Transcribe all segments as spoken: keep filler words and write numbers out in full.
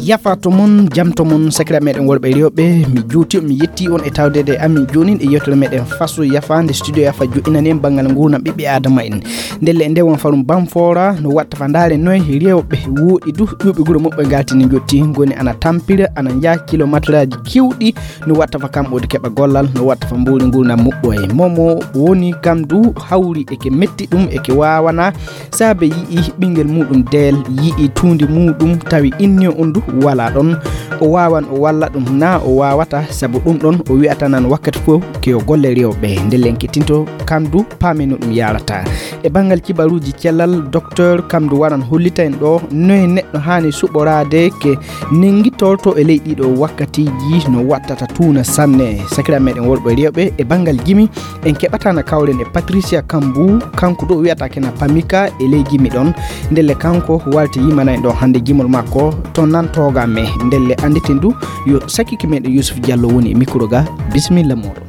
Yafa to mon, jam to mon, sakira meɗen worɓe rewɓe. Mi juuti on, mi yetti on e tawdede amin jonin e yewtere meɗen Faso Yafa, nde studio Yafa joɗinani en banngal nguurndam ɓiɓɓe Adama en. Ndelle e nde won farum Banfora, no watta fa ndaare noy rewɓe woɗi du, ƴuɓe guro muɓɓe ngaltini jotti, ngoni ana tampira, ana njaha kilometraaji kewɗi, no watta fa kamɓe wodi keɓa gollal, no watta fa mbuuri nguurndam muɓɓoye. Momo woni kam du hawri eke metti ɗum, eke wawana, saabe yi'i ɓingel muɗum deel, yi'i tuundi muɗum, tawi inni on du wala ɗon. O wawan o walla ɗum na o wawata, sabu ɗum ɗon o wi'ata nan wakkati fof ke o golle rewɓe. Nde len kettinto kam du paamino ɗum yarata. E banngal kibaruuji cellal, docteur kam du waran hollita en ɗo noye neɗɗo haani suɓoraade ke nengittorto e ley ɗiɗo wakkatiiji no wattata tuuna sanne. Sakira meɗen worɓe rewɓe e banngal jimi, en keɓatana kawren e Patricia Kambu, kanko ɗo wiyata kena Pamika e ley jimi ɗon. Ndelle kanko warti yimanay ɗo hannde jimol makko, to nan toga me. Ndelle annditen du yo sakiki meɗen Yusuf Diallo woni e micro ga. Bisimilla moɗon.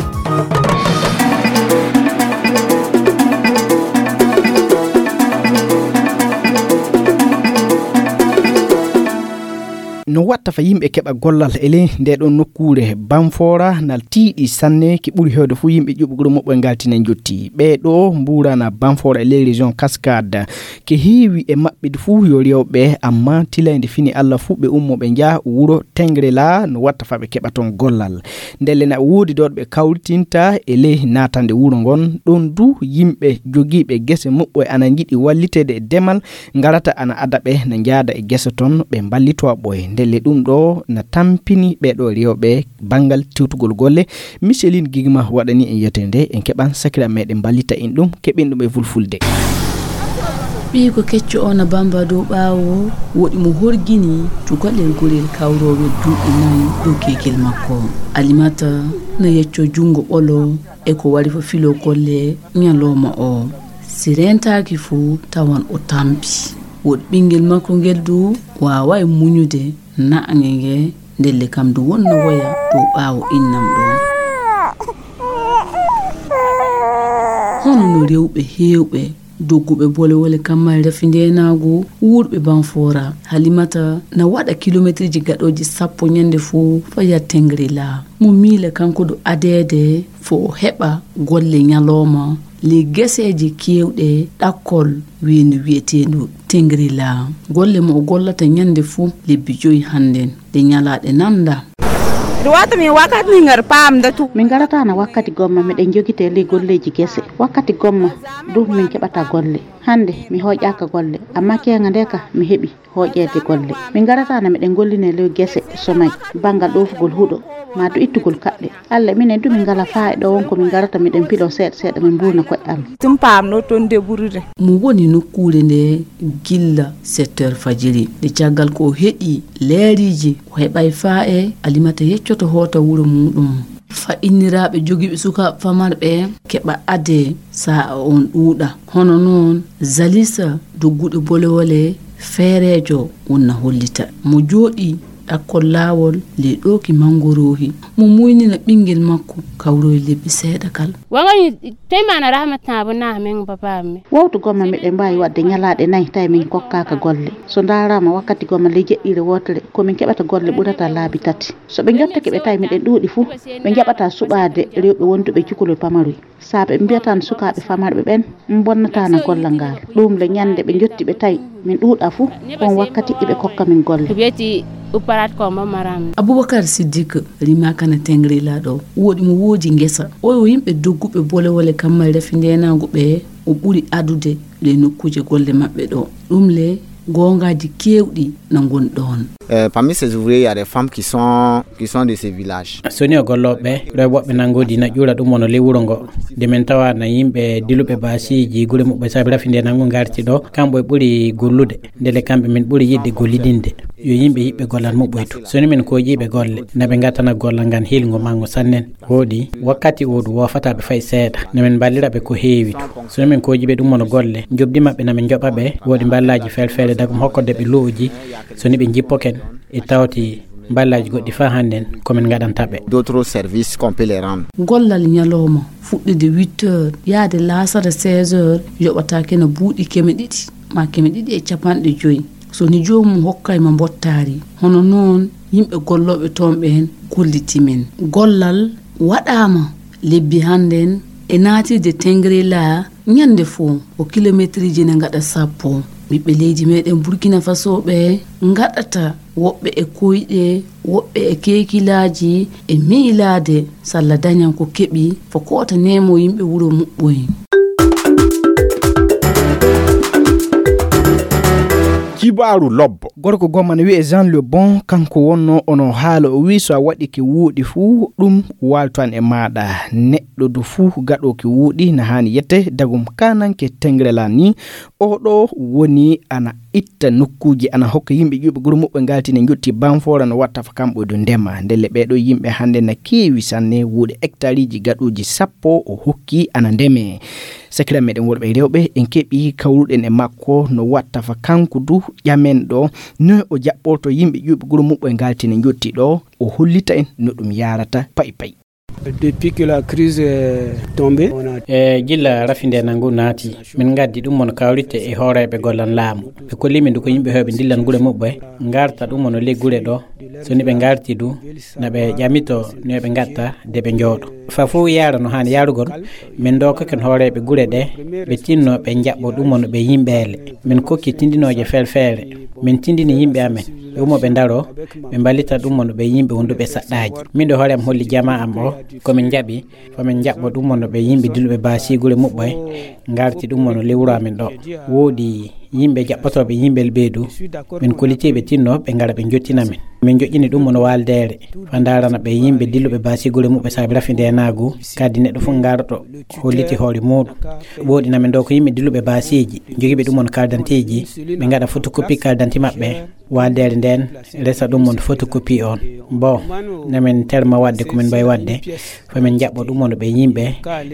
No watta fa yimɓe keɓa gollal e ley nde ɗon nokkuure Banfora nal tiiɗi sanne, ki ɓuri hewde fof yimɓe ƴuɓugol muɓɓoye ngaltina jotti. Ɓee ɗo mbuurana Banfora e ley région Cascade. Ke heewi e maɓɓe du fof yo rewɓe, amma tilayde fini Allah fof ɓe ummo ɓe njaha wuro Tengrela, no watta fa ɓe keɓa toon gollal. Ndelle na woodi ɗo ɓe kawritinta e ley naatande wuro ngon. Ɗon du yimɓe jogiiɓe gese muɓɓoye ana njiɗi walliteede e demal, ngarata ana ada ɓe na njaada e gese toon, ɓe mballitowa ɓoye. Ndelle ɗum ɗo na tampini ɓee ɗo rewɓe banngal tewtugol golle. Micheline Gigma waɗani en yewtere nde, en keɓan sakira meɗen mballita en ɗum, keɓen ɗum e fulfulde. Ɓiyiiko kecco o na bamba dow ɓaawo, woɗi mo horgini cukalel gorel kawroowe duuɓi nayi dow keekil makko. Alimata na yecco junngo ɓolo e ko wari fo filo golle ñalooma o. Si reentaaki fu tawan o tampi. Woɗi ɓinngel makko ngel du waaway muñude naange nge, ndelle kam du wonno woya dow ɓaawo innam ɗon. Hono no rewɓe heewɓe dogguɓe bolewole kammal rafi ndeenaagu wuurɓe Banfora, Halimata na waɗa kilometriji gaɗooji sappo ñande fuu faya Tengrila. Mo miila kanko du adeede fo o heɓa golle ñalooma ley geseeje keewɗe ɗakkol weendu wiyeteendu Tengrila. Golle mo o gollata ñande fuu lebbi joyi hannden, ɗe ñalaaɗe nannda. Ɗum watta min wakkati min ngar paamda tu. Min ngarata na wakkati gomma miɗen jogite ley golleeji gese. Wakkati gomma du min keɓata golle. Hannde mi hooƴaaka golle, amma keeŋa nde ka mi heɓi hooƴeede golle. Min ngarata na miɗen golline ley gese somay, banngal ɗoofugol huɗo, maa du ittugol kaɓɓe. Alla minen du min ngala faa e ɗo won ko min ngarata miɗen pilo seeɗa seeɗa min mbuurna ko'e amin. Tum paamno toon deburude. Mo woni nokkuure nde gilla sept heures fajiri. Nde caggal ko o heɗi leeriiji, o heɓay faa e Alimata yeccoto hoota wuro muuɗum. Fa inniraaɓe jogiiɓe sukaaɓe famarɓe keɓa adee sa'a on ɗuuɗa. Hono noon Zalisa dogguɗo bolewole feereejo wonna hollita. Mo jooɗii ɗakkol laawol ley ɗooki manngoroohi. Mo muynina ɓinngel makko kawroy lebbi seeɗa kal. Wangani tema na rahmat na abu na men papa me. Wawtu gomma miɗen mbaawi waɗde ñalaaɗe nayi tawi min kokkaaka golle. So ndaaraama wakkati gomma ley jeɗɗiire wootere ko min keɓata golle ɓurata laabi tati. So ɓe njottake ɓe tawi miɗen ɗuuɗi fuu, ɓe njaɓata suɓaade rewɓe wonduɓe cukalel pamaroy. Saabe ɓe mbiyatan sukaaɓe famarɓe ɓen, "Mbonnataana gollal ngal." Ɗum le ñande ɓe njotti ɓe tawi min ɗuuɗa fuu, on wakkati iɓe kokka min golle. Ko wiyeti upparat ko mbo maram. Abubakar Siddik rimaaka na Tengrila ɗo. Woɗi mo woodi ngesa. O yo yimɓe dogguɓe bolewole kammal rafi ndeenaagu ɓe o ɓuri adude ley nokkuuje golle maɓɓe ɗo. Ɗum le goongaaji keewɗi na ngon ɗoon. Euh, parmi ces ouvriers, il y a des femmes qui sont, qui sont de ces villages. So ni o gollooɓe, ɗo e woɓɓe nanngoodi na ƴuura ɗum wano ley wuro ngo. Nde min tawa na yimɓe diluɓe baasiiji gure muɓɓe saabi rafi nde nanngu ngarti ɗo, kamɓe ɓuri gollude. Ndele kamɓe min ɓuri yiɗde gollidinde. Yo yimɓe yiɓɓe gollal muɓɓoytu. So ni min koojiiɓe golle, na ɓe ngatana gollal ngal hiilngo manngo sannen. Wooɗi, wakkati o du woofataa ɓe fay seeɗa. No min mballira ɓe ko heewi tu. So no min kooji ɓe ɗum wano golle, njoɓdi maɓɓe na min njoɓa ɓe, wooɗi mballaaji feere-feere dagum hokkorde ɓe lu'uji. So ni ɓe njippoken, e tawti mballaaji goɗɗi faa hannden ko min ngaɗanta ɓe. D'autres services qu'on peut les rendre. Gollal ñalooma fuɗɗude huit heures, yaade laasara seize heures, yoɓataake no buuɗi keme ɗiɗi maa keme ɗiɗi e capanɗe joy. So ni joomum hokkay ma mbottaari, hono noon yimɓe gollooɓe toon ɓeen kolliti min. Gollal waɗaama lebbi hannden e naatirde Tengrela ñande fof ko kilometriji ne ngaɗa sappo. Ɓiɓɓe leydi meɗen Burkina Faso ɓe ngaɗata woɓɓe e koyɗe, woɓɓe e keekilaaji e miilaade salla dañan ko keɓi fo koota nemo yimɓe wuro muɓɓoy. Kibaaru lobbo. Gorko gomma ne wi'e Jean Le Bon, kanko wonno ono haala, o wi so a waɗi ke wuuɗi fuu ɗum waaltan e maaɗa. Neɗɗo du fuu gaɗo ke wuuɗi na haani yette dagum kananke Tengrela ni. Oɗo woni ana itta nokkuuji, ana hokka yimɓe ƴuuɓe guro muɓɓe ngalti ne njotti Banfora no watta fa kamɓe du ndema. Ndelle ɓeɗo yimɓe hannde na keewi sanne, wuuɗe hectareji gaɗuuji sappo o hokki ana ndeme. Sakira meɗen worɓe e rewɓe en keɓi kawruɗen e makko no watta fa kanko du ƴamen ɗo no o jaɓɓorto yimɓe ƴuuɓe guro muɓɓe ngalti ne njotti ɗo, o hollita en no ɗum yarata pay pay. Depuis que la crise est tombée, on a e gilla rafi nde nangu naati, min ngaddi ɗum mono kawrite e hooreeɓe gollan laamu. Ɓe kolli min du ko yimɓe heewɓe ndillan gure muɓɓe, ngarta ɗum mono ley gure ɗo. So ni ɓe ngarti du, na ɓe ƴamito no ɓe ngatta de ɓe njooɗo. Fa fof yaara no haani yaarugol, min ndokoken hooreeɓe gure ɗe, ɓe tinno ɓe njaɓɓo ɗum mono ɓe yimɓeele. Min kokki tindinooje felfeere. Min tindini yimɓe amen, ɓe ummo ɓe ndaro, ɓe mballita ɗum mono ɓe yimɓe wonduɓe saɗɗaaji. Min ɗo hoore am holli jama am o, ko min njaɓi, fa min njaɓɓo ɗum mono ɓe yimɓe diluɓe baasi gure muɓɓe, ngarti ɗum mono ley wuro amen ɗo. Woodi yimɓe jaɓɓotooɓe yimɓe ɓeydu, min kollitiiɓe tinno ɓe ngara ɓe njottina min. Min joƴƴini ɗum mono waaldeere, fa ndarana ɓe yimɓe diluɓe baasi gure muɓɓe saabi rafi ndenaagu, kadi neɗɗo fof ngarɗo holliti hoore muuɗum. Woodi na min ɗo ko yimɓe diluɓe baasiiji, jogiiɓe ɗum mono kaldanteeji, ɓe ngaɗa photocopie kaldanti maɓɓe, waaldeere nden resa ɗum mono photocopie on. Bon, na min terma waɗde ko min mbawi waɗde, fa min njaɓɓo ɗum mono ɓe yimɓe,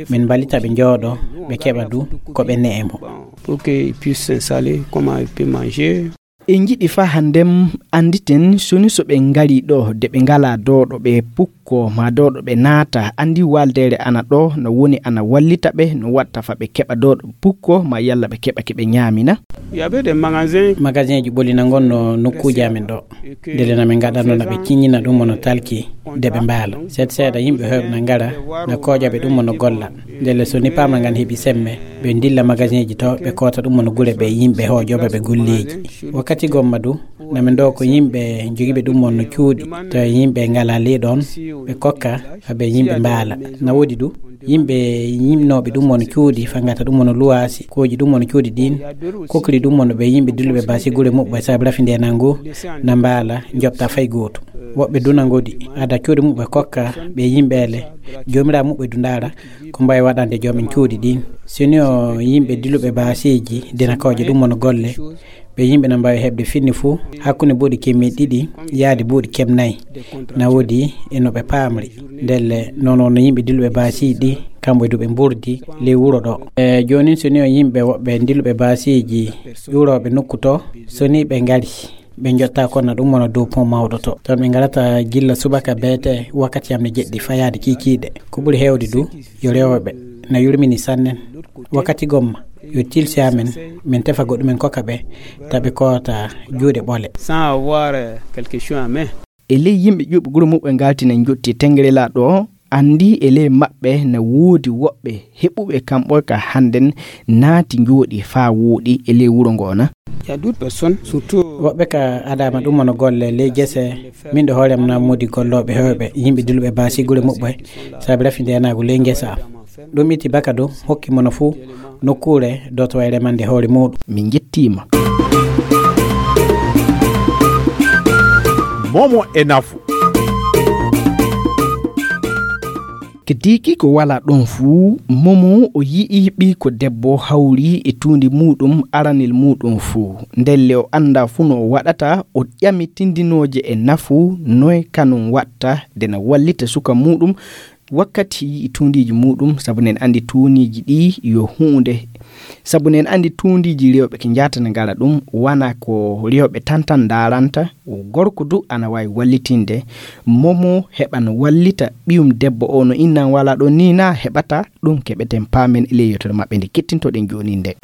min mballita ɓe njooɗo, ɓe keɓa du ko ɓe ne'e mo. Pour qu'ils puissent s'installer, comment ils peuvent manger. En njiɗi fa hanndem annditen soni so ɓe ngari ɗo de ɓe ngalaa dooɗo ɓe pukko ma dooɗo ɓe naata, anndi waaldeere ana ɗo no woni ana wallita ɓe no watta fa ɓe keɓa dooɗo pukko ma yalla ɓe keɓa ke ɓe ñaamina. Il y avait des magasins. Magasinji ɓolina ngon no nokkuuji amen ɗo. Ndele na min ngaɗanno na ɓe ciññina ɗum mono talki de ɓe mbaala. Seeɗa seeɗa yimɓe heewɓe na ngara na kooƴa ɓe ɗum mono golla. Ndele so ni paama ngan heɓi semme, ɓe ndilla magasinji to ɓe koota ɗum mono gure ɓe yimɓe hooƴooɓe ɓe golleeji. Wakkati gomma du, na min ɗo ko yimɓe jogiiɓe ɗum mono cuuɗi, to yimɓe ngala ley ɗon, ɓe kokka, haa ɓe yimɓe mbaala. Na woodi du, yimɓe yimnooɓe ɗum mono cuuɗi, fangata ɗum mono luwaasi, kooƴi ɗum mono cuuɗi ɗin, kokri ɗum mono ɓe yimɓe dilluɓe baasi gure muɓɓe saabi rafi nde nangu, na mbaala, njoɓta fay gooto. Woɓɓe duna ngodi, ada cuuɗi muɓɓe kokka, ɓe yimɓe ele, joomiraa muɓɓe du ndaara, ko mbawi waɗande joomen cuuɗi ɗin. Soni o yimɓe diluɓe baasiiji, dina kawje ɗum mono golle, ɓe yimɓe na mbawi heɓde finni fuu, hakkunde buuɗi kemmi ɗiɗi, yaade buuɗi kem nayi. Na woodi e no ɓe paamri. Ndelle, noon wonno yimɓe diluɓe baasiiji ɗi, kamɓe du ɓe mburdi ley wuro ɗo. E joonin soni o yimɓe woɓɓe diluɓe baasiiji, ƴuurooɓe nokku to, soni ɓe ngari. Ɓe njotta konna ɗum wona dow pont mawɗo to. Toon ɓe ngarata gilla subaka beete wakkati yamde jeɗɗi fayaade kiikiiɗe. Ko ɓuri heewde du, yo rewooɓe na yurmini sannen. Wakkati gomma, yo tilsi amen, min tefa goɗɗumen kokka ɓe, taɓe koota juuɗe ɓole. Sans avoir, euh, quelque chose en main. E ley yimɓe ƴuuɓe gure muɓɓe ngaltina njotti tengere laa ɗo, anndi e ley maɓɓe na woodi woɓɓe heɓuɓe kamɓe ka hannden naati njooɗi faa wooɗi e ley wuro ngoo na. Il y a d'autres personnes, surtout. Woɓɓe ka adama ɗum wona golle ley gese. Min ɗo hoore am na moodi gollooɓe heewɓe, yimɓe diluɓe baasi gure muɓɓe, saabi rafi ndeenaagu ley ngesa am. Ɗum itti baka dow, hokki mono fuu nokkuure dotowa e remande hoore muuɗum. Min njettiima. Momo e nafu. Keddiiki ko wala ɗon fuu, Momo o yi'i ɓiyko debbo hawri e tuundi muuɗum aranel muuɗum fuu. Ndelle o anndaa fuu no o waɗata, o ƴami tindinooje e nafu, noy kanum watta de na wallita suka muuɗum wakkati yi'i tuundiiji muuɗum, sabu nen anndi tuundiiji ɗi yo huunde. Sabu nen anndi tuundiiji rewɓe ke njaata na ngara ɗum, wana ko rewɓe tan tan ndaaranta, gorko du ana waawi wallitinde. Momo heɓan wallita ɓiyum debbo o no innan wala ɗo ni na heɓata, ɗum keɓeten paamen e ley yewtere maɓɓe nde kettintoɗen jooni nde.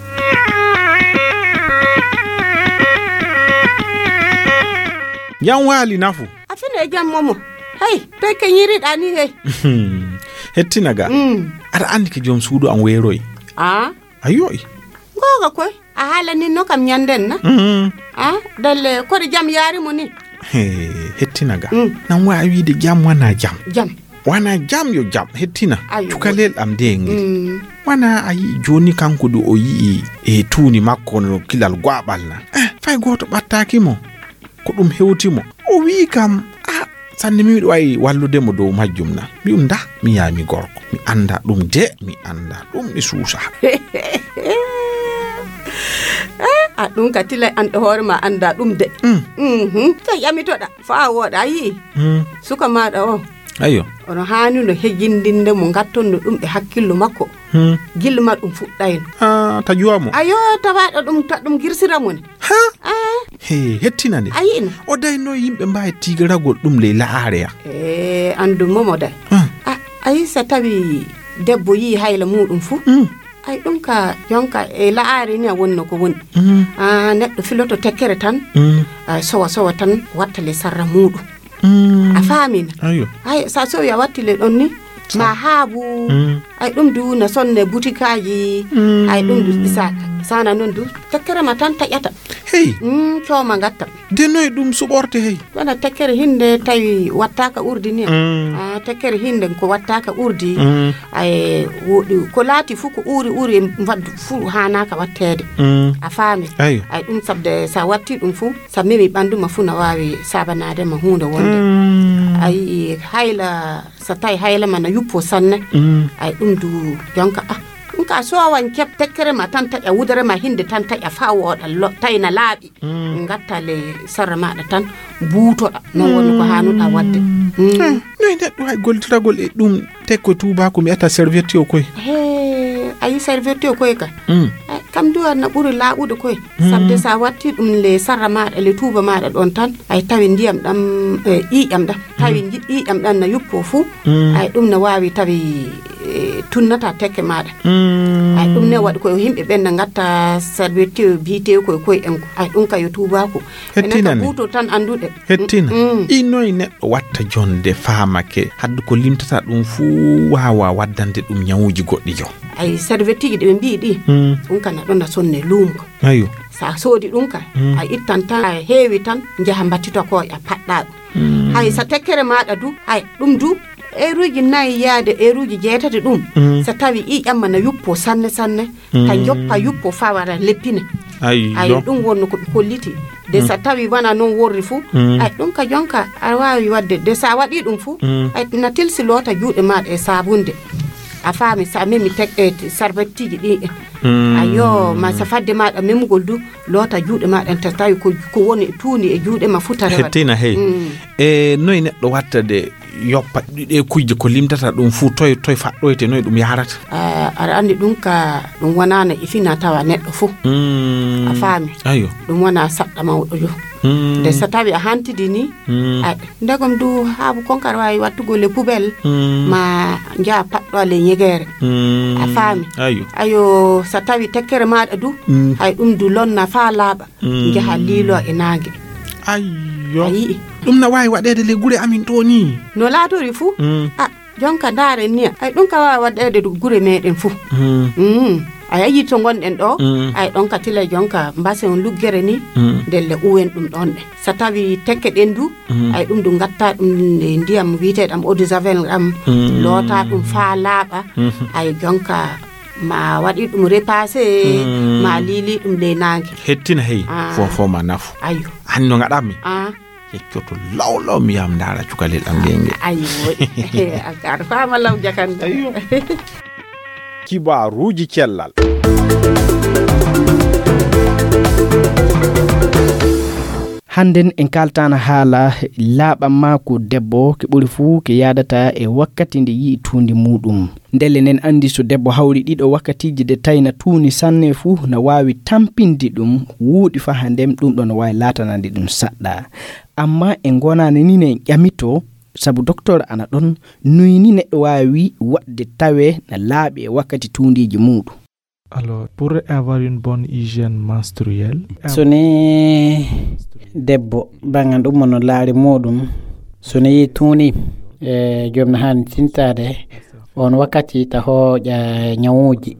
Jam waali nafu. A fino e jam momo. Hey, toy keñiriɗaa ni hey? Hettina ga. Mm. Aɗa anndi ke joom suudu am weeroy. Ah. A yo'i. Googa koy. A haala nin no kam ñanden na? Mm. Ah, dalle koɗo jam yaari mo ni? He, hettina ga. Mm. Nan waawi wiide jam wana jam. Jam. Wana jam yo jam, hettina. Ayo. Cukalel am de ngel. Mm. Wana a yi'i jooni kanko du o yi'i e tuuni makko no kilal go'aɓal na. Eh, fay gooto ɓattaaki mo. Ko ɗum hewti mo. O wi'i kam, "Ah, sanne mi miɗo wawi wallude mo dow majjum na." Mi um nda, mi yaha mi gorko. Mi annda ɗum de, mi annda ɗum mi suusa. Eh, a ɗum ka tilay an ɗo hoore ma annda ɗum de. Mm. Mhm. Ka ƴamitoɗa, faa wooɗa, a yi'i? Mm. Suka maaɗa o. Ayo. Ono haani no hejindinde mo, ngattonno ɗum e hakkillo makko. Hmm. Gilma ɗum fuɗɗayno. Ah, ta juwa mo. Ayo, tawaɗo ɗum, ta ɗum girsira mo ne. Ha? Ah. He, hettina nde. A yi'no? O dayno yimɓe mbawi tigaragol ɗum ley la'are ya. E, andu momo day. Hmm. Ah, ayi sa tawi debbo yi hayla muɗum fu. Hmm. Ay ɗum ka, jonka e la'are ni a wonno ko woni. Hmm. Ah, neɗɗo filoto tekkere tan. Hmm. Ah, sowa sowa tan watta le sarra muɗum. Mm. A faamina? Ayo. Hay, sa sowi a watti le ɗon ni, ma haabu. Mm. Ay ɗum du na sonne butikaaji. Mm. Ay ɗum du sa, sana non du. Tekkere ma tan taƴata. Hey. Mm, cooma ngatta. De noy ɗum suɓorte hey? Wona tekkere hinde tawi wattaka urdi ni. Mm. Ah, tekkere hinde ko wattaka urdi. Mm. Ay, woɗi, ko laati fu ko uri uri mbaddu fu hanaka wattede. Mm. A faami? Ayo. Ay ɗum sabde sa watti ɗum fu. Sa memi ɓandu ma fu na waawi saabanaade ma huunde wonde. Mm. A yi'i hayla, sa tawi hayla ma na yuppo sanne. Mm. Ay ɗum du jonka, ah, ɗum ka sowan keb tekkere ma tan taƴa wudere ma hinde tan taƴa faa wooɗa lo-, tawi na laaɓi. Mm. Ngatta le sarra maɗa tan buutoɗa. Non woni ko haanuɗa wadde. Mm. Mm. Eh, noy neɗɗo hay gollitiragol e ɗum? Te ko tuubaaku mi ata serviette o koy. He, ayi serviette o koy ka. Mm. Ay, kam du na ɓuri laaɓude koy. Mm. Sabde sa watti ɗum le sarra maɗa, le tuuba maɗa ɗon tan, ay tawi ndiyam ɗam, e, ƴiiƴam ɗam. Tawi Mm. nji-, ƴiiƴam ɗam na yuppo fu. Mm. Ay ɗum na waawi tawi, e, tunnata tekke maɗa. Mm. Ay ɗum ne waɗi koye yimɓe ɓen na ngatta serviette biyete koye koye en ko. Ay ɗum ka yo tuubaaku. Hettina Enen ka ni. Buuto tan annduɗe. Hettina. Mm. Inoy neɗɗo watta jonde faamake, hadde ko limtata ɗum fuu waawa waddande ɗum ñawuji goɗɗi jo. Ay, servietteji ɗi ɓe mbi'i ɗi, Mm. ɗum kana ɗon a sonne luumo. Ayo. Sa soodi ɗum ka, Mm. a ittan tan, a heewi tan, njaha mbattito ko a paɗɗa ɗum. Mm. Hay sa tekkere maɗa du, hay ɗum du, eeruji nayi yaade eeruji jeetati ɗum, Mm. sa tawi ƴiiƴam ma na yuppo sanne sanne, ka Mm. joppa yuppo fawara leppine. Ayyo. Ay, ɗum wonno ko ɓe kolliti. De Mm. sa tawi wana non worri fu, Mm. ay, ɗum ka jonka a waawi wadde. De sa waɗi ɗum fu, Mm. ay, na tilsi loota juuɗe maɗa e sabunde. A faami, sa memi tek-, e t-, sarbettiji ɗi. Mm. Ayo, ma sa fadde maɗa memugol du, loota juuɗe maɗa en ta tawi ko, ko woni e tuundi e juuɗe ma fu tarewa. Hettina hey. Mm. E noy neɗɗo watta de yoppa ɗi-, ɗe kujje ko limtata ɗum fu, toy, toy faɗɗoyte, noy ɗum yahrata? Ah, aɗa anndi ɗum ka, ɗum wonaa no e fina tawa neɗɗo fu. Mm. A faami? Ayo. Ɗum wonaa saɗɗa mawɗo yo. Mm. Nde so tawi a hantidi ni, Mm. a, ndegom du haabu kon kar waawi wattugol e poubelle, Mm. ma njaha paɗɗo le ñegeere. Mm. A faami? Ayo. Ayo, so tawi tekkere maaɗa du, Mm. hay ɗum du lonna faa laaɓa. Mm. Njaha liilo e naange. Ayyo. A yi'i? Ɗum na waawi waɗeede le gure amin to ni. No laatori fu? Mm. A, jonka ndaare ni. Ay, ɗum ka waawi waɗeede du gure meɗen fu. Mm. Mm. Ay, a yi'i to ngonɗen ɗo? Mm. Ay, ɗon ka tila jonka mbase on luggere ni. Mm. Ndelle uwen ɗum ɗon ɗe. So tawi tekke ɗen du, Mm. ay, ɗum du ngatta ɗum e ndiyam wi'eteeɗam eau de javel am, Mm. loota ɗum faa laaɓa. Mhm. Ay, jonka ma waɗi ɗum repassé, Mm. ma liili ɗum ley naange. Hettina hey, Ah. fofo ma nafu. Ayo. An no ngaɗammi? Ah. Yeccoto law law mi yam ndaara cukalel am ngenge. Ayo. Aɗa faama law jakande. Ayo. Kibaaruuji cellal. Hannden en kaaltaana haala laaɓam maa ko debbo ke ɓuri fuu ke yaadata e wakkati nde yi'i tuundi muuɗum. Ndelle nen anndi so debbo hawri ɗiɗo wakkatiiji de tayna tuuni sanne fuu na waawi tampinde ɗum wuuɗi faa haa ndem ɗum ɗo no waawi laatanande ɗum saɗɗa. Amma en ngonaani ni ne ƴamito sabu doktor ana ɗon nuyni neɗɗo waawi waɗde tawe na laaɓi e wakkati tuundiiji muuɗum. Alors, pour avoir une bonne hygiène menstruelle, so ni debbo bangan ɗum mono laari muɗum, so ni tuuni e joom no haani tintade on wakkati ta hooƴa ñawuuji.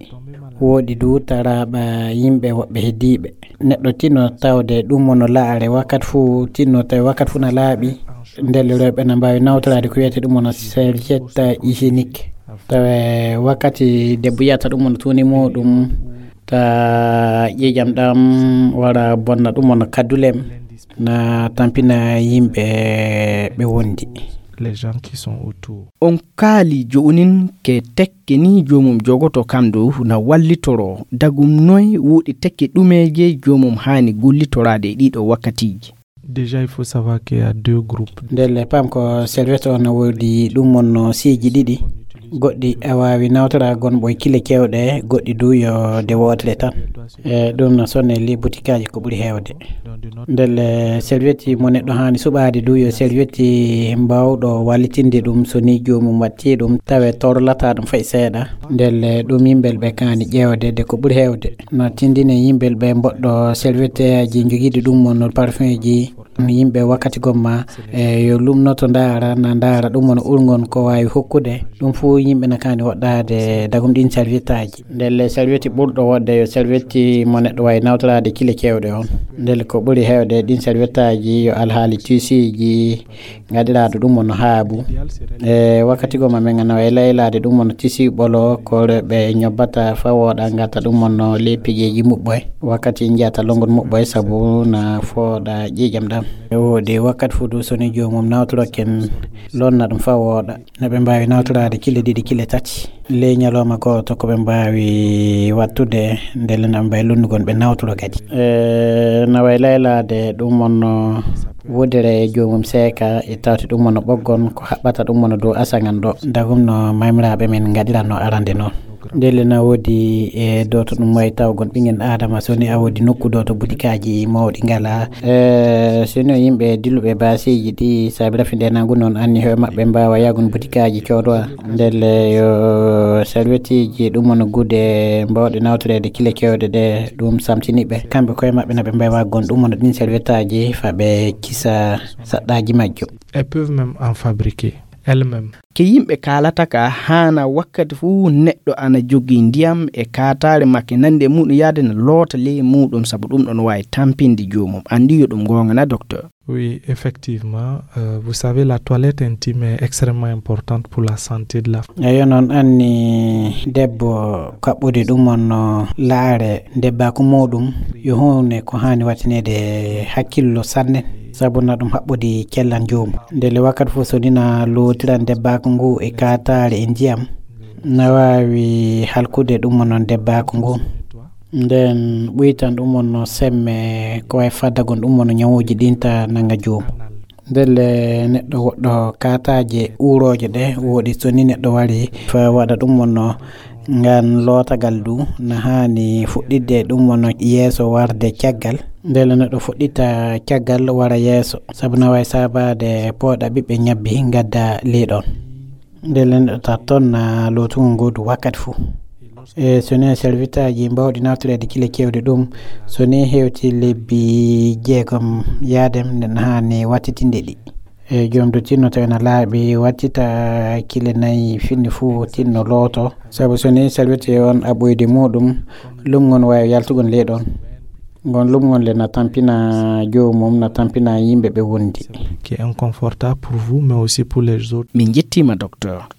Woɗi du taraɓa yimɓe woɓɓe heddiiɓe. Neɗɗo tino tawde ɗum mono laare wakkati fuu, tinno tawi wakkati fuu na laaɓi. Ndelle rewɓe na mbaawi nawtoraade ko wiyetee ɗum mono serviette hygiénique. Tawa wakkati debbo yiyata ɗum mono tuuni muɗum, ta ƴiiƴam ɗam wara bonna ɗum mono kaddulem, na tampina yimɓe ɓe wondi. Les gens qui sont autour. On kaali jo'unin ke tekke ni joomum jogoto kam dow na wallitoro dagum noy wuuɗi tekke ɗumeeje joomum haani gullitoraade e ɗiɗo wakkatiiji. Déjà, il faut savoir qu'il y a deux groupes. Ndelle pam ko serviette on no woodi ɗum mon no siiji ɗiɗi. Goɗɗi a waawi nawtora gonɓo e kile kewɗe, goɗɗi du yo de wootere tan. E ɗum no sonne li butikaaji ko ɓuri heewde. Ndelle serviette mo neɗɗo haani suɓaade du yo serviette mbawɗo wallitinde ɗum so ni joomum watti ɗum tawe torlata ɗum fay seeɗa. Ndelle ɗum yimɓe ɓe kaani ƴeewde de ko ɓuri heewde. Na tindine yimɓe ɓe mboɗɗo servietteeji jogiiɗi ɗum mono parfumji. Yimɓe wakkati gomma e yo lumnoto ndaara na ndaara ɗum mono urgon ko waawi hokkude. Ɗum fuu yimɓe na kaani woɗɗaade dagum ɗin serviettaaji. Ndelle serviette ɓurɗo woɗde yo serviette mo neɗɗo waawi nawtoraade kile kewɗe on. Ndelle ko ɓuri heewde ɗin serviettaaji yo alhaali tisiiji ngaɗiraaɗo ɗum mono haabu. E wakkati goma men ngana e laylaade ɗum mono tisi ɓolo ko ɓe ñobbata fa wooɗa ngata ɗum mono le pigeeji muɓɓoy. Wakkati njiyata longon muɓɓoy sabu na fooɗa ƴiiƴam ɗam. E woodi wakkati fuu du so ni joomum nawtoroken lonna ɗum fa wooɗa. No ɓe mbaawi nawtoraade kile ɗiɗi, kile tati. Ley ñalawma gooto ko ɓe mbaawi wattude, ndelle na ɓe mbaawi lonnugol ɓe nawtoro kadi. E, na way laylaade ɗum wonno wudere e joomum seeka, e tawti ɗum wonno ɓoggon ko haɓɓata ɗum wonno dow asaŋan ɗo. Dagum no mamiraaɓe men ngaɗiranno arande noon. Ndelle na woodi e dooto ɗum wayi taw gon ɓingen Aadama so ni a woodi nokku dooto butikaaji mawɗi ngala. E, so ni o yimɓe dilluɓe baasiiji ɗi saabi rafi nde nangu noon anni hoye maɓɓe mbaawa yaagun butikaaji coodowa. Ndelle yo salwetiji ɗum wona gude mbawɗe nawtoreede kile kewɗe ɗe ɗum samtini ɓe. Kamɓe koye maɓɓe na ɓe mbawi waggon ɗum wona ɗin salwetaji fa ɓe kisa saɗɗaji majjo. Elles peuvent même en fabriquer elles-mêmes. Ke yimɓe kaalata ka haana wakkati fuu neɗɗo ana jogii ndiyam e kaataare makke nande muɗum yaade na loota ley muɗum sabu ɗum ɗon waawi tampinde joomum. Anndi yo ɗum goonga na, docteur? Oui, effectivement, euh, vous savez, la toilette intime est extrêmement importante pour la santé de la femme. Eyo, noon anni debbo kaɓɓude ɗum on no laare ndebbaku muɗum yo huune ko haani wattineede hakkillo sanne, sabu na ɗum haɓɓodi cellan joomum. Ndelle wakkati fof so ni na lootiran ndebbaku ngu e kaataare e ndiyam, na waawi halkude ɗum on noon ndebbaku ngu. Nden ɓuytan ɗum on no semme ko wayi faddagon ɗum on no ñawuuji ɗin ta nanga joom. Ndelle neɗɗo woɗɗo kaataaje uurooje ɗe woɗi so ni neɗɗo wari fa waɗa ɗum on no ngan lootagal du na haani fuɗɗitde ɗum on no yeeso warde caggal. Ndelle neɗɗo fuɗɗita caggal wara yeeso sabu na wayi saabaade pooɗa ɓiɓɓe ñabbi ngadda ley ɗon. Ndelle neɗɗo ta toon na lootugol ngoodu wakkati fuu. E so ni e servitaaji mbawɗi naftoreede kile kewɗi ɗum, so ni hewti lebbi jeegom yaadem, nden haani wattitinde ɗi. E joom du tinno tawi na laaɓi wattita kile nayi finni fuu tinno looto. Sabu so ni salwete on aɓɓoyde muɗum, lumngon waawi yaltugol ley ɗon. Ngon lumngon le na tampina joomum, na tampina yimɓe ɓe wondi. Qui est inconfortable pour vous, mais aussi pour les autres. Min njettiima, docteur.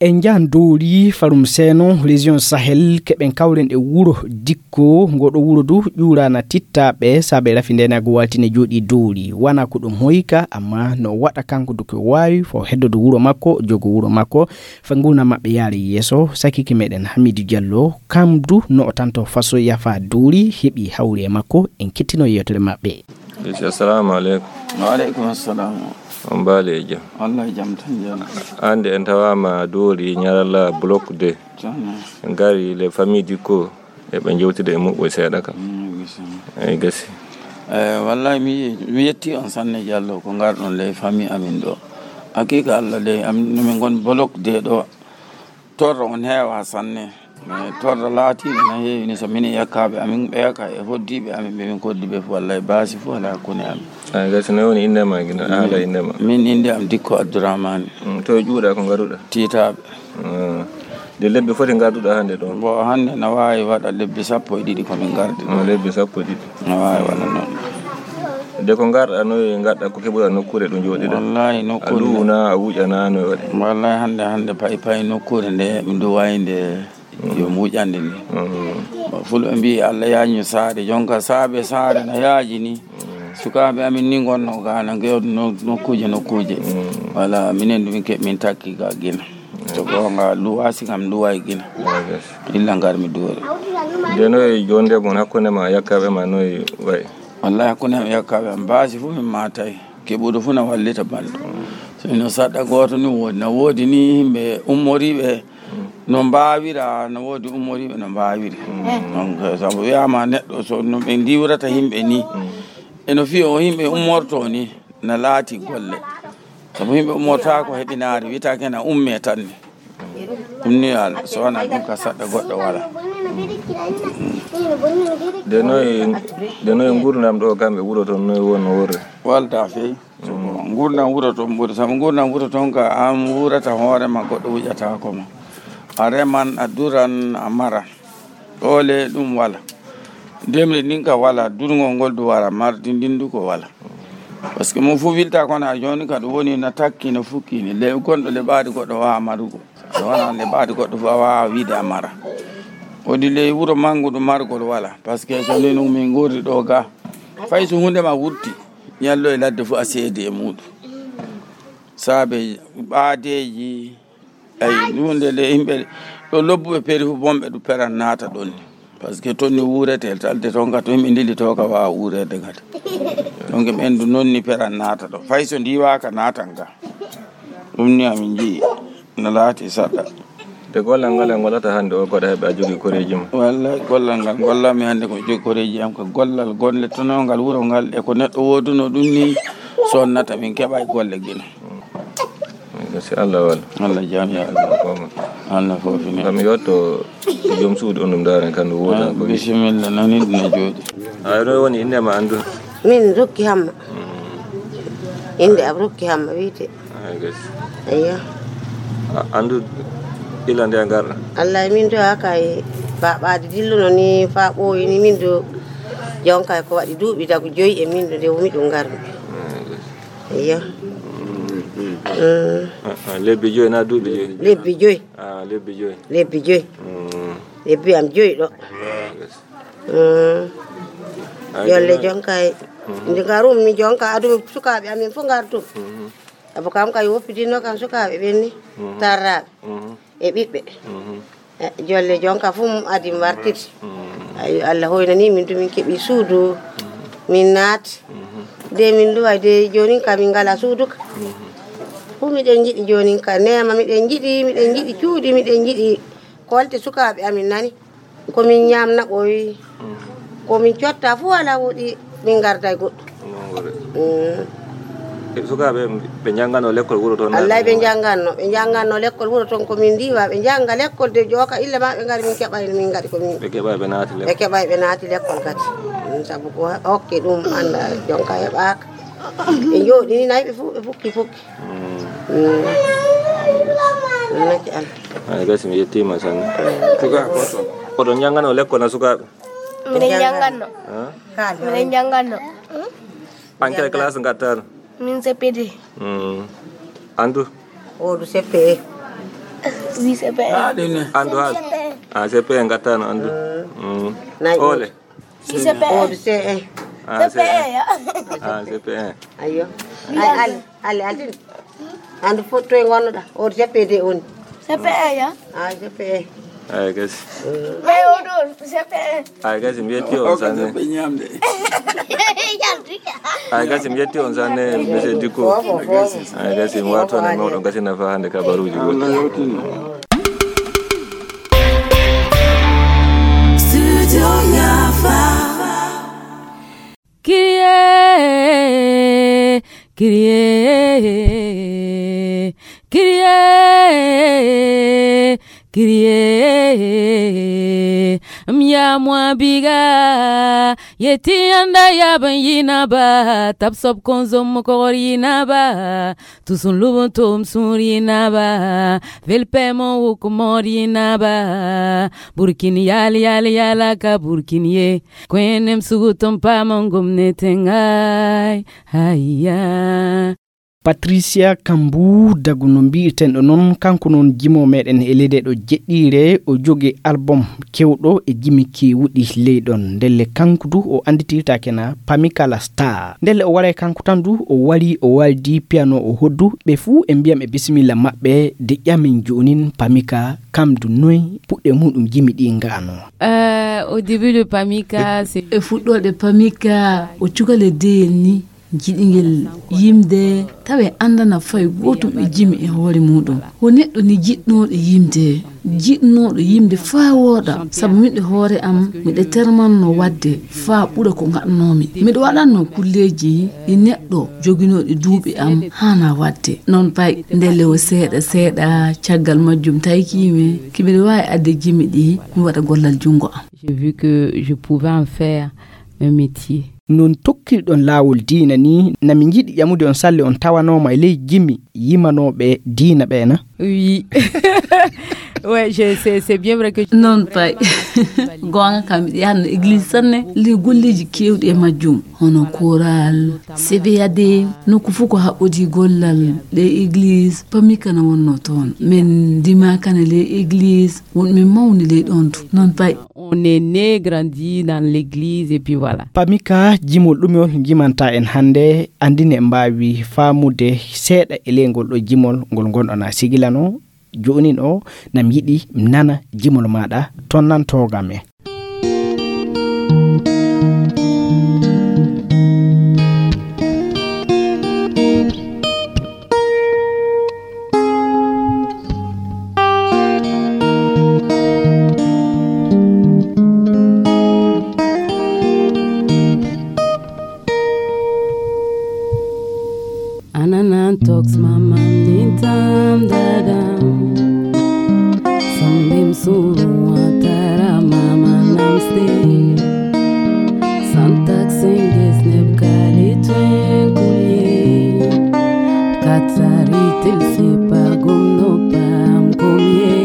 En njahan Dowri, Farum Seeno, région Sahel, keɓen kawren e wuro Dikko. Ngoɗo wuro du ƴuuraana tittaaɓe, saabe rafi ndenaagu waaltine jooɗii Dowri. Wana ko ɗum hoyka, amma no waɗa kanko du ko waawi, fo heddodo wuro makko, jogo wuro makko, fa ngurndan maɓɓe yaari yeeso. Sakike meɗen Hamidu Diallo, kam du no o tanto faso yafa Dowri, heɓi hawri e makko, en kettino yewtere maɓɓe. Esi, assalamu aleykum. Wa aleykum assalam. On mbaali e jam? Wallahi jam tan jam. Ande en tawama Dowri ñaralla bloc deux. Jam. En gari les familles Dikko e ɓe jewtida e muɓɓoy seeɗa kam. Mm, gasi. Eyi gasi. Eh, wallahi mi, mi yetti on sanne Diallo ko ngarɗon les familles amin ɗo. Hakika Allah de am no min ngon bloc deux ɗo. Torra on heewa sanne. Mais torra laatiiɓe na heewi ni, so minen yakkaaɓe amin ɓeya ka e hoddiiɓe amin ɓe min koddi ɓe fof, wallay baasi fof alaa hakkunde amin. Ay, gasi ne woni innde ma gina, haala innde ma. Min innde am Dikko Abdourahmane. Mm, to e ƴuuɗa ko ngaruɗa? Tiitaaɓe. Mm. De lebbi foti ngarduɗa hannde ɗon? Bon, hannde na waawi waɗa lebbi sappo e ɗiɗi ko min ngardi. Mm, lebbi sappo e ɗiɗi. Na waawi waɗa noon. De ko ngarɗa, noy ngarɗa, ko keɓuɗa nokkuure ɗo njooɗiɗa? Wallahi, a nokkuure nde luuna, a wuƴana, no e waɗi? Wallahi, hannde, hannde pay, pay nokkuure nde, mi ndu wayde yo mi wuƴande ni. Mm. Bon, fulɓe mbii, Allah yaajino saare, jonka saabe saare na yaaji ni. Mm. Sukaaɓe amin ni ngonno ga, na ngeewdo no-, nokkuuje, nokkuuje. Mm. Wala, minen du min keɓ-, min takki ga gina. To goonga, luwaasi kam, luway gina. Yes. Illa ngar mi duwore. De noy jonde mon hakkunde ma yakkaaɓe ma noy way? Wallahi, hakkunde am e yakkaaɓe am, baasi fof min maatay. Keɓuɗo fof na wallita banndo. So ino saɗɗa gooto ni woodi, na woodi ni yimɓe ummoriiɓe no mbaawira, na woodi ummoriiɓe no mbaawiri. Mm. Donc, sabu wiyaama neɗɗo so no ɓe ndiwrata yimɓe ni, mm, e no fiyo o yimɓe ummorto ni, na laati golle. Sabu yimɓe ummortaako heɓinaare, wiyetaake na umme tan ni. Ɗum ni, al-, so wonaa ɗum ka saɗɗa goɗɗo wala. De noy, de noy ngurdam ɗo kam e wuro toon, noy won no worre? Walda fey. Mm. Ngurdam wuro toon ɓuri, sabu ngurdam wuro toon ka an wurata hoore ma, goɗɗo wuƴataako ma. A reman, a duran, a maran. Ɗoole ɗum wala. Ndemri ndin ka wala, durngol ngol du wala, mardi ndin du ko wala. Parce que mo fof wilta kono a jooni ka ɗum woni na takki, na fukki ni. Le gonɗo le ɓaadi goɗɗo waawa marugo. So wonaa le ɓaadi goɗɗo fof a waawa wiide a mara. Woni ley wuro manngu ɗum margol wala. Parce que so ni ɗum min ngorri ɗo ga. Fay so huunde ma wurti, ñallo e ladde fof a seedi e muuɗum. Saabe ɓaadeeji, ay, ɗunde le yimɓe ɗo lobbuɓe peri fof bonɓe ɗum peran naata ɗon ni. Parce que toon ni wuurete, talde toon ka to yimɓe ndili to ka waawa wuureede kadi. Donc ɓen du noon ni peran naata ɗo. Fay so ndiwaaka naatan ka. Ɗum ni amin njiyi. No laati saɗɗa. De gollal ngal en ngollata hannde o, koɗa heɓe a jogii koreeji ma? Wallay, gollal ngal ngollanmi hannde ko mi jogii koreeji am ko gollal gonle tonoo ngal wuro ngal e ko neɗɗo woodunoo ɗum ni sonnata min keɓa e golle gila. Ko si Allah walla. Allah jam ya Allah. Ko ma. Allah fofi ne. Kam yotto joom suudu on ɗum ndaaren kan ɗum wooda ko. Bisimilla, nani ɗum ne jooɗi. Ay, ɗo woni innde ma anndu? Min Rokki Hamma. Mm. Innde am Rokki Hamma wiyte. Ay, gasi. Eyyo. A, anndu ila nde ngarɗa? Allah, min do haka e ba-, ɓaade dilluno ni fa ɓooyi ni min do jonka ko waɗi duuɓi dagu joyi e min do nde wumi ɗum ngarmi. Ay, gasi. Eyyo. Mm. Mm. A, a, lebbi joyi na duuɓi joyi? Lebbi joyi. A, lebbi joyi. Lebbi joyi. Mm. Lebbi am joyi ɗo. Yes. Mm. Ay, jolle jonka e. Mhm. Nde ngarum mi jonka adum sukaaɓe amin fof ngartum. Mhm. Abo kam kay woppidinno kam sukaaɓe ɓen ni. Mhm. Tarraaɓe. Mhm. E ɓiɓɓe. Mhm. E, jolle jonka fof mum adi mi wartiti. Mm. Ay, Allah hoynani min, du min keɓi suudu, min naati. Mm-hmm. De min duway, de joonin ka min ngala suudu ka. Mm-hmm. Fof miɗen njiɗi joonin ka neema, miɗen njiɗi, miɗen njiɗi cuuɗi, miɗen njiɗi kolte sukaaɓe amin nani. Ko min ñaamna ɓooyi, mm, ko min cotta fof alaa woɗi. Min ngarda e goɗɗo. Noon woni. Mm. E sukaaɓe ɓe njannganno lekkol wuro toon? Wallay, ɓe njannganno, ɓe njannganno lekkol wuro toon, ko min ndiwa, ɓe njannga lekkol de jooka illa ma ɓe ngari, min keɓay, min ngari ko min. Ɓe keɓay ɓe naati lekkol. Ɓe keɓay ɓe naati lekkol kadi. Mm, sabu ko hokke ɗum annda jonka heɓaaka. Ɓe njooɗini nayi ɓe fof, ɓe fukki fukki. Mm. Mm. Naki an. Ay, gasi mi yettiima sanne. Mm. Sukaaɓe ko toon. Ko toon njannganno lekkol na sukaaɓe? Miɗen njannganno. Miɗen njannganno. An kay classe ngattan? Min C P D. Mm. Andu? Odu C P E. Wi C P E. Andu hal? Ah, C P E ngattano andu. Mm. Ole? Wi C P E. Odu C E. Ah, C P E ya. Ah, C P E. Ayo. Ay, al. Alle, altine. Andu fof toye ngonnoɗa? O C P D woni. C P E ya? Ah, C P E. Ay, gasi. Mais o ɗo, C P E. Ay, gasi, mi yetti on sanne. Ay, gasi, mi yetti on sanne, monsieur Dicko. Ay, gasi, mi wato ne mawɗo gasi nafa hande kabaruji goɗɗi. Studio Yafa. Kyrie, Kyrie, Kyrie, Kriye, mya mwa biga, yeti anda ya ban yina ba, tap sop konzo mokor yina ba, tusun lubun tom sur yina ba, velpe mo wuk mor yina ba, burkin yal yal yala ka burkin ye, kwenem sugutum pa mongum ne tengai, haya. Patricia Kambu Dagu no mbi'irten ɗo noon, kanko noon jimo meɗen e leydi ɗo jeɗɗiire, o jogi album kewɗo e jimi kewuɗi ley ɗon. Ndelle kanko du o anditirtaake na Pamika la Star. Ndelle o waray kanko tan du, o wari o waldi piano o hoddu, ɓe fuu e mbiyam e bisimilla maɓɓe de ƴamin joonin Pamika kam du noy puɗɗe muɗum jimi ɗi ngano. Euh, au début de Pamika, c'est e fuɗɗoɗe Pamika, o cukale deyel ni. Jiɗingel yimde tawe andana fay gootum e jimi e hoore muɗum. Wo neɗɗo ni jiɗnooɗo yimde, jiɗnooɗo yimde faa wooɗa, sabu miɗo hoore am, miɗo termanno waɗde faa ɓura ko ngaɗnoomi. Miɗo waɗanno kulleeji ɗi neɗɗo joginooɗi duuɓi am haana waɗde. Noon pay, ndelle o seeɗa seeɗa, caggal majjum taykiimi, ki miɗo waawi adde jimi ɗi, mi waɗa gollal junngo am. J'ai vu que je pouvais en faire un métier. Non tokkirɗon laawol diina ni, na mi njiɗi ƴamude on salle on tawanooma e ley jimi yimanooɓe diina ɓee na? Oui. Ouais, je, c'est, c'est bien vrai que je... Noon pay. Goonga kam, miɗo yahanno église sanne. Ley golleeji keewɗi e majjum, hono koral, seveyade, nokku fof ko haɓɓodii gollal, ɗe église, Pamika na wonno toon. Min ndimaaka ne ley église, won min mawni ley ɗoon tu. Noon pay. On est né, grandi dans l'église et puis voilà. Pamika, jimol ɗumol jimanta en hannde, anndine mbaawi faamude seeɗa e ley ngol ɗo jimol ngol ngonɗon a sigilano. Joonin o, nam yiɗi nana jimol maaɗa, tonnantooga me. Ananan talks mama nintam dadam. Sambim suru watara mama namste. Santak singis nebkali twenkuye. Katsari tilsi pagum no pam kumye.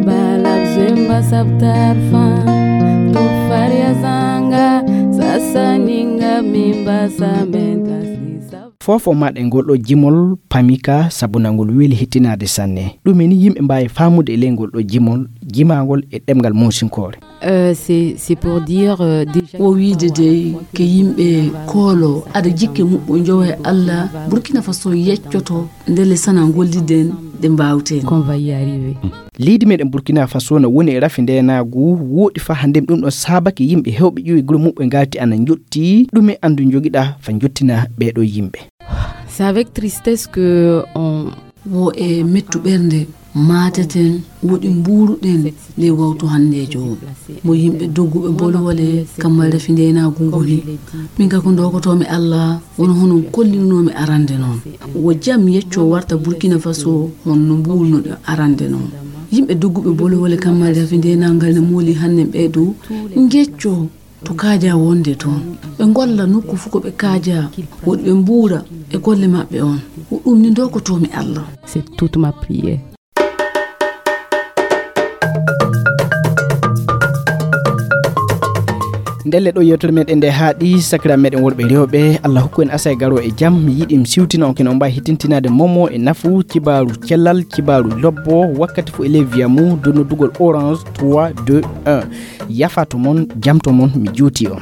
Balab zimba sabtar fan. Tufaria zanga. Sasa ninga mimba samenta sisa. Fof o maɗa e ngol ɗo jimol Pamika, sabu na ngol weeli hettinaade sanne. Ɗum eni yimɓe mbaawi faamude e ley ngol ɗo jimol, jimaangol e ɗemngal Moosinkoore. Euh, c'est, c'est pour dire, euh, déjà... Wo wiide dey, ke yimɓe koolo, aɗa jikke muɓɓo njowa e Allah, Burkina Faso yeccoto, ndelle sana ngolliden, ɗe mbaawten. Qu'on va y arriver. Leydi meɗen Burkina Faso na woni e rafi ndeenaagu wooɗi faa hannde ɗum ɗon saabake yimɓe heewɓe ƴiwi gure muɓɓe ngati ana njotti. Ɗume anndu njogiɗa fa njottina ɓeeɗo yimɓe? C'est avec tristesse que on... Wo e mettu ɓernde maateten, woɗi mbuuruɗen ley wawtu hanndeejo o. Mo yimɓe dogguɓe bolwole kammal rafi ndeenaagu ngoni. Min ka ko ndokotoomi Allah, wono hono kollinoomi arande noon. Wo jam yecco warta Burkina Faso, hono no mbuurnoɗen arande noon. Yimɓe dogguɓe bolwole kammal rafi ndeenaagal ne mooli hannde ɓee dow ngecco to kaaja wonde toon. Ɓe ngolla nokku fof ko ɓe kaaja, woɗi ɓe mbuura e golle maɓɓe on. Ko ɗum ni ndokotoomi Allah. C'est toute ma prière. Ndelle ɗo yewtere meɗen nde haaɗi, sakira meɗen worɓe rewɓe, Allah hokku en asay garo e jam. Mi yiɗi mi siwtina on kene on mbawi hittintinaade momo e nafu, cibaaru cellal, cibaaru lobbo, wakkati fof e ley viya mum, dow noddugol orange trois deux un. Yafa to mon, jam to mon, mi juuti on.